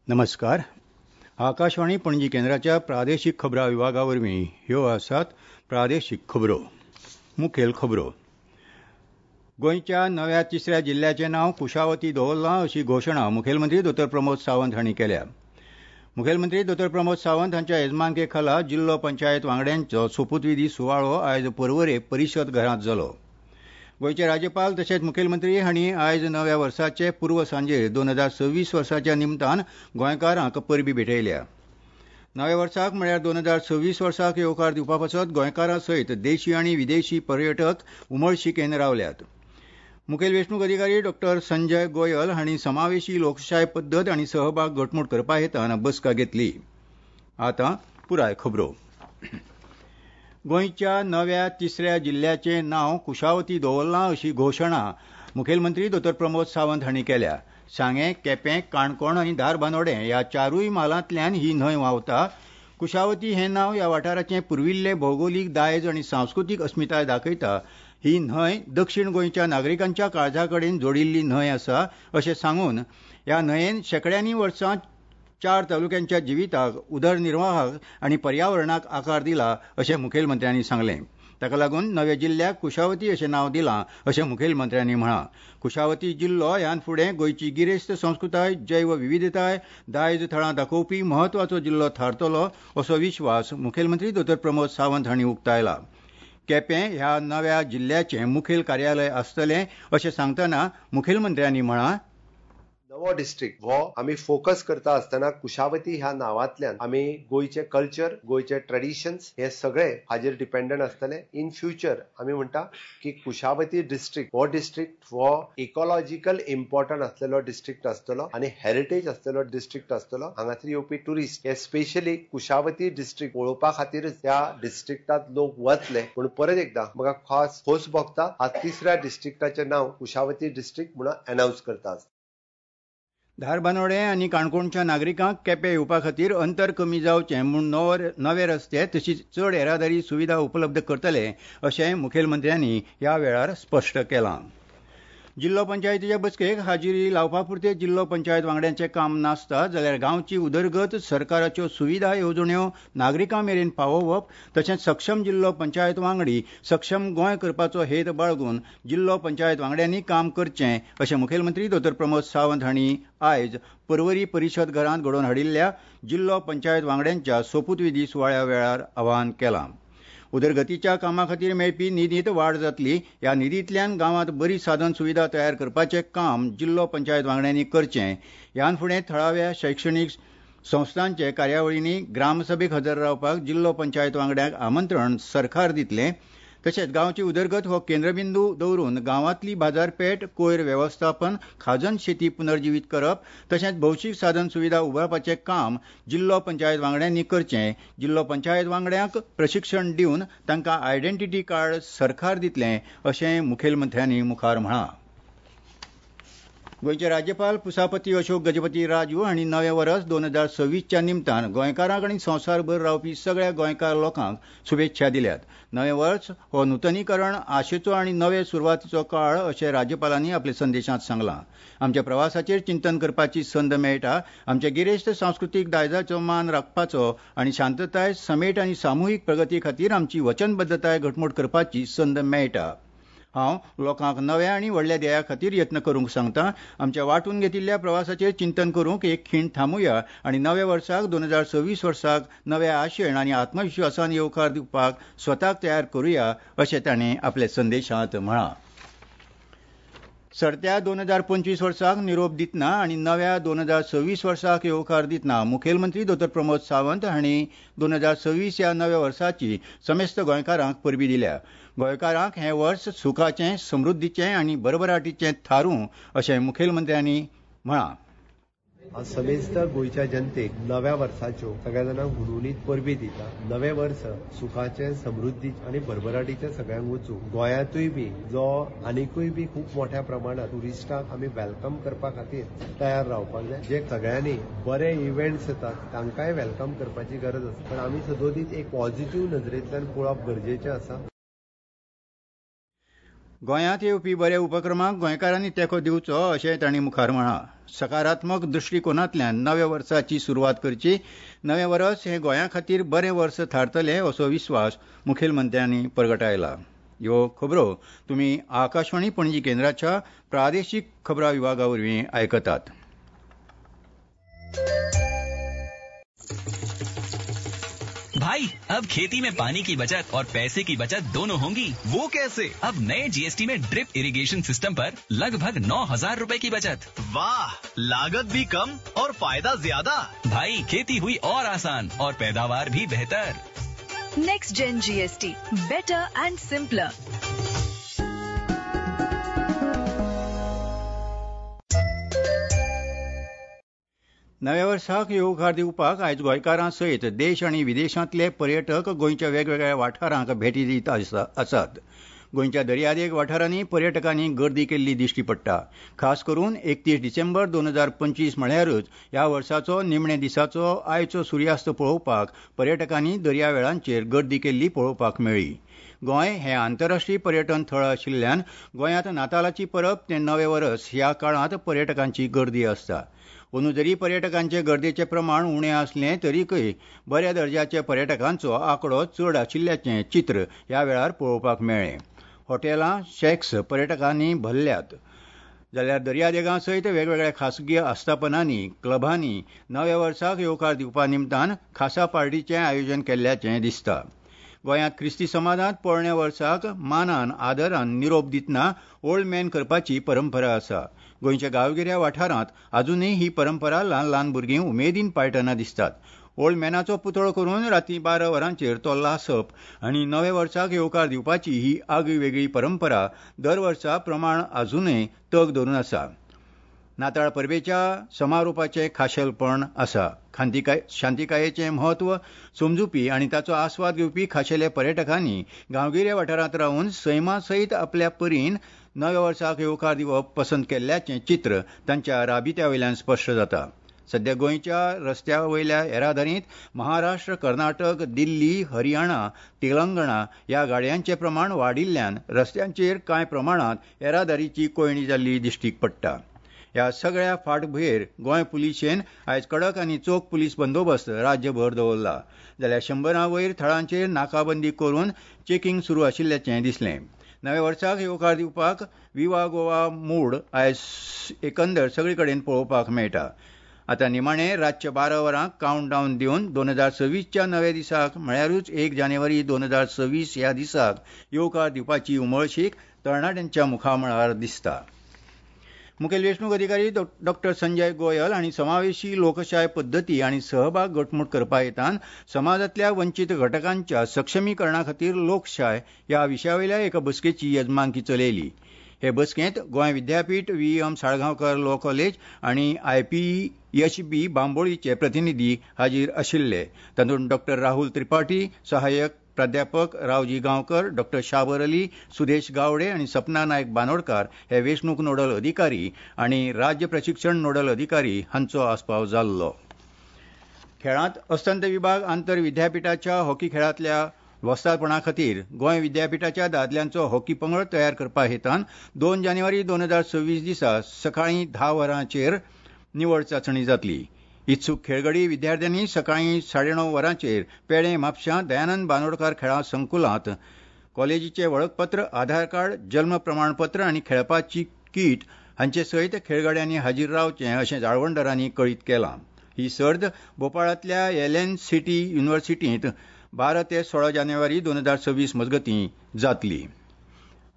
नमस्कार. आकाशवाणी पणजी केंद्राच्या प्रादेशीक खबरां विभागा वरवीं ह्यो आसात प्रादेशीक खबरो. मुखेल खबरो. गोंयच्या नव्या तिसऱ्या जिल्ल्याचें नांव कुशावती दवरलां अशी घोशणा मुखेलमंत्री दोतोर प्रमोद सावंत हांणी केल्या. मुखेलमंत्री दोतोर प्रमोद सावंत हांच्या येजमानके खाला जिल्लो पंचायत वांगड्यांचो सोपूतविधी सुवाळो आयज पर्वरे परिशद घरांत जालो. गोंयचे राज्यपाल तशेंच मुखेलमंत्री हांणी आयज नव्या वर्साचे पूर्व सांजेर 2026 वर्साच्या निमतान गोंयकारांक परबी भेटयल्या. नव्या वर्साक म्हळ्यार 2026 वर्साक येवकार दिवपा पासत गोंयकारां सयत देशी आनी विदेशी पर्यटक उमळशिकेन रावल्यात. मुखेल वेंचणूक अधिकारी डॉ संजय गोयल हांणी समावेशी लोकशाय पद्दत आनी सहभाग घटमूट करपा हेतान बसका घेतली. आतां पुराय खबरो. गोंयच्या नव्या तिसऱ्या जिल्ल्याचें नांव कुशावती दवरलां अशी घोशणा मुखेलमंत्री दोतोर प्रमोद सावंत हांणी केल्या. सांगें, केपें, काणकोण आनी धारबांदोडें ह्या चारूय म्हालांतल्यान ही न्हंय व्हांवता. कुशावती हें नांव ह्या वाठाराचें पुर्विल्लें भौगोलीक दायज आनी सांस्कृतीक अस्मिताय दाखयता. ही न्हंय दक्षीण गोंयच्या नागरिकांच्या काळजा कडेन जोडिल्ली न्हंय आसा अशें सांगून ह्या न्हंयेन शेंकड्यांनी वर्सां चार तालुक्यांच्या जिविताक, उदरनिर्वाहाक आनी पर्यावरणाक आकार दिला अशें मुखेलमंत्र्यांनी सांगलें. ताका लागून नव्या जिल्ल्याक कुशावती अशें नांव दिलां अशें मुखेलमंत्र्यांनी म्हळां. कुशावती जिल्लो ह्यान फुडें गोंयची गिरेस्त संस्कृताय, जैव विविधताय, दायज थळां दाखोवपी म्हत्वाचो जिल्लो थारतलो असो विश्वास मुखेलमंत्री दोतोर प्रमोद सावंत हांणी उक्तायला. केपें ह्या नव्या जिल्ल्याचें मुखेल कार्यालय आसतलें अशें सांगतना मुखेलमंत्र्यांनी म्हळां, नवो डिस्ट्रिक्ट हो आमी फोकस करता आसतना कुशावती ह्या नांवांतल्यान आमी गोंयचे कल्चर, गोंयचे ट्रेडिशन्स हे सगळे हाजेर डिपेंडंट आसतले. इन फ्युचर आमी म्हणटा की कुशावती डिस्ट्रिक्ट हो डिस्ट्रिक्ट हो इकॉलॉजिकल इम्पॉर्टंट आसलेलो डिस्ट्रिक्ट आसतलो आनी हेरिटेज आसलेलो डिस्ट्रिक्ट आसतलो. हांगासर येवपी ट्युरिस्ट हे स्पेशली कुशावती डिस्ट्रिक्ट पळोवपा खातीरच त्या डिस्ट्रिक्टांत लोक वतले. पूण परत एकदां म्हाका खास खोस भोगता, आज तिसऱ्या डिस्ट्रिक्टाचें नांव कुशावती डिस्ट्रिक्ट म्हणून अनावन्स करता. धारबांदोडें आनी काणकोणच्या नागरिकांक केपें येवपा खातीर अंतर कमी जावचें म्हूण नवे रस्ते तशीच चड येरादारी सुविधा उपलब्ध करतले अशें मुखेलमंत्र्यांनी ह्या वेळार स्पश्ट केलां. जिल्लो पंचायतीच्या बसकेक हाजिरी लावपा पुरतें जिल्लो पंचायत वांगड्यांचें काम नासता जाल्यार गांवची उदरगत, सरकाराच्यो सुविधा येवजण्यो नागरिकां मेरेन पावोवप तशेंच सक्षम जिल्लो पंचायत वांगडी सक्षम गोंय करपाचो हेत बाळगून जिल्लो पंचायत वांगड्यांनी काम करचें अशें मुखेलमंत्री दोतोर प्रमोद सावंत हांणी आयज पर्वरी परिशद घरांत घडोवन हाडिल्ल्या जिल्लो पंचायत वांगड्यांच्या सोपूतविधी सुवाळ्या वेळार आवाहन केलां. उदरगतीच्या कामा खातीर मेळपी निधींत वाड जातली. ह्या निधींतल्यान गांवांत बरी साधन सुविधा तयार करपाचें काम जिल्लो पंचायत वांगड्यांनी करचें. ह्यान फुडें थळाव्या शैक्षणीक संस्थांचे कार्यावळींनी ग्रामसभेक हजर रावपाक जिल्लो पंचायत वांगड्यांक आमंत्रण सरकार दितलें. तशेंच गांवची उदरगत हो केंद्रबिंदू दवरून गांवांतली बाजारपेठ, कोयर वेवस्थापन, खाजन शेती पुनर्जिवीत करप तशेंच भौशीक साधन सुविधा उबारपाचें काम जिल्लो पंचायत वांगड्यांनी करचें. जिल्लो पंचायत वांगड्यांक प्रशिक्षण दिवन तांकां आयडेंटिटी कार्ड सरकार दितलें अशें मुखेलमंत्र्यांनी मुखार म्हळां. गोंयचे राज्यपाल पुसापती अशोक गजपती राजू हांणी नवें वर्स 2026च्या निमतान गोंयकारांक आनी संवसारभर रावपी सगळ्या गोंयकार लोकांक शुभेच्छा दिल्यात. नवें वर्स हो नुतनीकरण, आशेचो आनी नवे सुरवातीचो काळ अशें राज्यपालांनी आपल्या संदेशांत सांगलां. आमच्या प्रवासाचेर चिंतन करपाची संद मेळटा. आमच्या गिरेस्त सांस्कृतीक दायजाचो मान राखपाचो आनी शांतताय, समेट आनी सामुहीक प्रगती खातीर आमची वचनबद्दताय घटमूट करपाची संद मेळटा. हांव लोकांक नव्या आनी व्हडल्या ध्येया खातीर यत्न करूंक सांगता. आमच्या वांटून घेतिल्ल्या प्रवासाचेर चिंतन करूंक एक खीण थांबुया आनी नव्या वर्साक 2026 वर्साक नव्या आशेन आनी आत्मविश्वासान येवकार दिवपाक स्वताक तयार करुया अशें तांणी आपल्या संदेशांत म्हळां. सरत्या 2025 वर्साक निरोप दितना आनी नव्या 2026 वर्साक येवकार दितना मुखेलमंत्री दोतोर प्रमोद सावंत हांणी 2026 ह्या नव्या वर्साची समेस्त गोंयकारांक परबी दिल्या. गोंयकारांक हें वर्स सुखाचें, समृद्धीचें आनी भरभराटीचें थारूं अशें मुखेलमंत्र्यांनी म्हळां. आज समेस्त गोंयच्या जनतेक नव्या वर्साच्यो सगळ्या जाणांक हुनहुनीत परबी दिता. नवें वर्स सुखाचें, समृद्धीचें आनी भरभराटीचें सगळ्यांक वचूं. गोंयांतूय बी जो आनिकूय बी खूब मोठ्या प्रमाणात ट्युरिस्टांक आमी welcome करपा खातीर तयार रावपाक जाय. जे सगळ्यांनी बरे इव्हेंट्स येतात तांकांय welcome करपाची गरज आसा, पण आमी सदोदीत एक पॉझिटिव्ह नजरेंतल्यान पळोवप गरजेचें आसा. गोंयांत येवपी बऱ्या उपक्रमांक गोंयकारांनी तेंको दिवचो अशें तांणी मुखार म्हळां. सकारात्मक दृश्टीकोनांतल्यान नव्या वर्साची सुरवात करची. नवें वर्स हें गोंया खातीर बरें वर्स थारतलें असो विस्वास मुखेलमंत्र्यांनी परगटायला. ह्यो खबरो तुमी आकाशवाणी पणजी केंद्राच्या प्रादेशीक खबरां विभागा वरवीं आयकतात. भाई, अब खेती में पानी की बचत और पैसे की बचत दोनों होंगी। वो कैसे? अब नए जीएसटी में ड्रिप इरिगेशन सिस्टम पर लगभग 9,000 रुपए की बचत। वाह, लागत भी कम और फायदा ज्यादा। भाई, खेती हुई और आसान और पैदावार भी बेहतर। Next gen GST, better and simpler. नव्या वर्साक येवकार दिवपाक आयज गोंयकारां सयत देश आनी विदेशांतले पर्यटक गोंयच्या वेगवेगळ्या वाठारांक भेटी दीत आसात. गोंयच्या दर्यादेग वाठारांनी पर्यटकांनी गर्दी केल्ली दिश्टी पडटा. खास करून 31 डिसेंबर 2025 म्हळ्यारूच ह्या वर्साचो निमणे दिसाचो आयचो सुर्यास्त पळोवपाक पर्यटकांनी दर्यावेळांचेर गर्दी केल्ली पळोवपाक मेळ्ळी. गोंय हें आंतरराष्ट्रीय पर्यटन थळ आशिल्ल्यान गोंयांत नातालाची परब ते नवें वर्स ह्या काळांत पर्यटकांची गर्दी आसता. अंदू जरी पर्यटकांचे गर्देचें प्रमाण उणें आसलें तरीकय बऱ्या दर्जाचे पर्यटकांचो आंकडो चड आशिल्ल्याचें चित्र ह्या वेळार पळोवपाक मेळ्ळें. हॉटेलां, शॅक्स पर्यटकांनी भरल्यात, जाल्यार दर्यादेगां सयत वेगवेगळ्या खासगी आस्थापनांनी, क्लबांनी नव्या वर्साक येवकार दिवपा निमतान खासा पार्टीचें आयोजन केल्ल्याचें दिसता. गोंयांत क्रिस्ती समाजांत पोरण्या वर्साक मानान आदरान निरोप दितना ओल्ड मॅन करपाची परंपरा आसा. गोंयच्या गांवगिऱ्या वाठारांत अजुनूय ही परंपरा ल्हान ल्हान भुरगीं उमेदीन पाळटना दिसतात. ओल्ड मॅनाचो पुतळो करून रातीं 12 वरांचेर तो लासप आनी नव्या वर्साक येवकार दिवपाची ही आगळी वेगळी परंपरा दर वर्सा प्रमाण अजुनूय तग धरून आसा. नाताळ परबेच्या समारोपाचें खाशेलपण आसा. शांतिकायेचें म्हत्व समजुपी आनी ताचो आस्वाद घेवपी खाशेल्या पर्यटकांनी गांवगिऱ्या वाठारांत रावन सैमा सयत आपल्या परीन नव्या वर्साक येवकार दिवप पसंत केल्ल्याचें चित्र तांच्या राबित्या वयल्यान स्पश्ट जाता. सध्या गोंयच्या रस्त्या वयल्या येरादारींत महाराष्ट्र, कर्नाटक, दिल्ली, हरियाणा, तेलंगणा ह्या गाडयांचें प्रमाण वाडिल्ल्यान रस्त्यांचेर कांय प्रमाणांत येरादारीची कोंयडी जाल्ली दिश्टीक पडटा. ह्या सगळ्या फाटभुंयेर गोंय पुलिशेन आयज कडक आनी चोख पुलीस बंदोबस्त राज्यभर दवरला. जाल्यार 100 वयर थळांचेर नाकाबंदी करून चेकिंग सुरू आशिल्ल्याचें दिसलें. नव्या वर्साक येवकार दिवपाक विवा गोवा मूड आयज एकंदर सगळे कडेन पळोवपाक मेळटा. आतां निमाणे रातच्या 12 वरांक कावंट डावन दिवन 2026च्या नव्या दिसाक म्हळ्यारूच 1 जानेवारी 2026 ह्या दिसाक येवकार दिवपाची उमळशीक तरणाट्यांच्या मुखामळार दिसता. मुखेल वेंचणूक अधिकारी डॉ संजय गोयल हांणी समावेशी लोकशाय पद्दती आनी सहभाग घटमूट करपा हेतान समाजांतल्या वंचीत घटकांच्या सक्षमीकरणा खातीर लोकशाय ह्या विशया वयल्या एका बसकेची येजमानकी चलयली. हे बसकेंत Goa Vidyapeeth, V M Salgaonkar law college आनी आयपीएचबी बांबोळीचे प्रतिनिधी हाजीर आशिल्ले. तातूंत डॉ राहुल त्रिपाठी, सहाय्यक प्राध्यापक रावजी गांवकर, डॉ शाबर अली, सुदेश गावडे आनी सपना नायक बांदोडकार हे वेंचणूक नोडल अधिकारी आनी राज्य प्रशिक्षण नोडल अधिकारी हांचो आस्पाव जाल्लो. खेळांत अस्तंत विभाग आंतर विद्यापिठाच्या हॉकी खेळांतल्या वस्तादपणा खातीर गोंय विद्यापिठाच्या दादल्यांचो हॉकी पंगड तयार करपा हेतान 2 जानेवारी 2026 दिसा सकाळीं 10 वरांचेर निवड चांचणी जातली. इत्सूक खेळगडी विद्यार्थ्यांनी सकाळीं 9:30 वरांचेर पेडे म्हापशां दयानंद बांदोडकार खेळां संकुलांत कॉलेजीचें वळखपत्र, आधार कार्ड, जल्म प्रमाणपत्र आनी खेळपाची कीट हांचे सयत खेळगड्यांनी हाजीर रावचें अशें जाळवणदारांनी कळीत केलां. ही सर्त भोपाळांतल्या एल.एन. सिटी युनिव्हर्सिटींत 12 ते 16 जानेवारी 2026 मजगतीं जातली.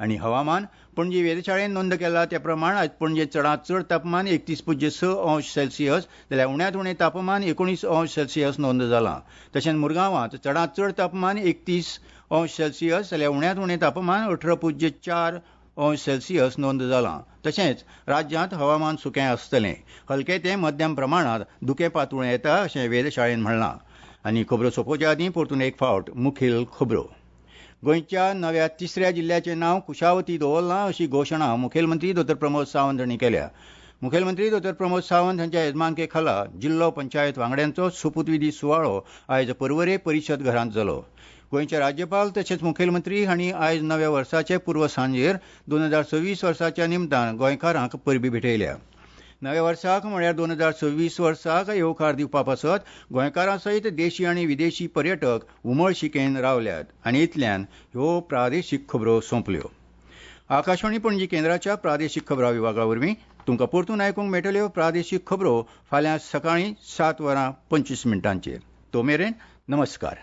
आनी हवामान, पणजी वेधशाळेन नोंद केला त्या प्रमाण आयज पणजे चडांत चड तापमान 31.6 अंश सेल्सियस जाल्यार उण्यांत उणें तापमान 19 अंश सेल्सियस नोंद जालां. तशेंच मुरगांवांत चडांत चड तापमान 31 अंश सेल्सियस जाल्यार उण्यांत उणें तापमान 18.4 अंश सेल्सियस नोंद जालां. तशेंच राज्यांत हवामान सुकें आसतलें. हलकें ते मध्यम प्रमाणांत धुकें पातळूं येता अशें वेधशाळेन म्हणलां. आनी खबरो सोंपोवच्या आदीं परतून एक फावट मुखेल खबरो. गोंयच्या नव्या तिसऱ्या जिल्ल्याचें नांव कुशावती दवरलां अशी घोशणा मुखेलमंत्री डॉ प्रमोद सावंत हांणी केल्या. मुखेलमंत्री डॉ प्रमोद सावंत हांच्या येजमानके खाला जिल्लो पंचायत वांगड्यांचो सोपूतविधी सुवाळो आयज पर्वरे परिशद घरांत जालो. गोंयचे राज्यपाल तशेंच मुखेलमंत्री हांणी आयज नव्या वर्साचे पूर्व सांजेर 2026 वर्साच्या निमतान गोंयकारांक परबीं भेटयल्या. नव्या वर्साक म्हळ्यार 2026 वर्साक येवकार दिवपा पासत गोंयकारां सयत देशी आनी विदेशी पर्यटक उमळशिकेन रावल्यात. आनी इतल्यान ह्यो प्रादेशीक खबरो सोंपल्यो. आकाशवाणी पणजी केंद्राच्या प्रादेशीक खबरां विभागा वरवीं तुमकां परतून आयकूंक मेळटल्यो प्रादेशीक खबरो फाल्यां सकाळीं 7:25. तो मेरेन नमस्कार.